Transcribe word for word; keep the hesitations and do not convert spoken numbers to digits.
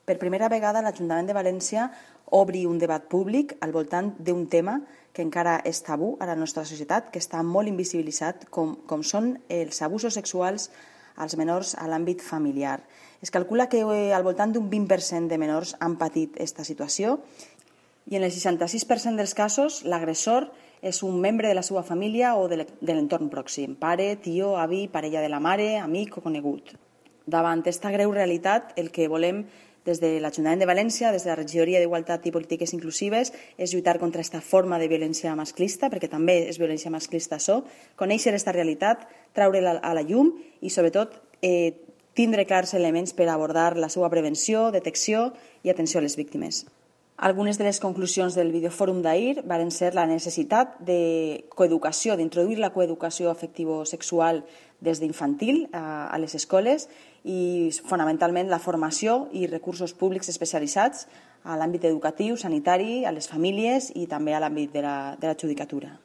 Per primera vegada l'Ajuntament de València obri un debat públic al voltant d'un tema que encara és tabú a la nostra societat, que està molt invisibilitzat, com, com són els abusos sexuals als menors a l'àmbit familiar. Es calcula que eh, al voltant d'un vint per cent de menors han patit aquesta situació i en el seixanta-sis per cent dels casos l'agressor és un membre de la seva família o de l'entorn pròxim, pare, tio, avi, parella de la mare, amic o conegut. Davant aquesta greu realitat, el que volem des de l'Ajuntament de València, des de la Regidoria d'Igualtat i Polítiques Inclusives, és lluitar contra aquesta forma de violència masclista, perquè també és violència masclista això, conèixer aquesta realitat, treure-la a la llum i, sobretot, eh, tindre clars elements per abordar la seva prevenció, detecció i atenció a les víctimes. Algunes de les conclusions del videofòrum d'ahir van ser la necessitat de coeducació, d'introduir la coeducació afectivo-sexual des d'infantil a les escoles i fonamentalment la formació i recursos públics especialitzats a l'àmbit educatiu, sanitari, a les famílies i també a l'àmbit de la, de la judicatura.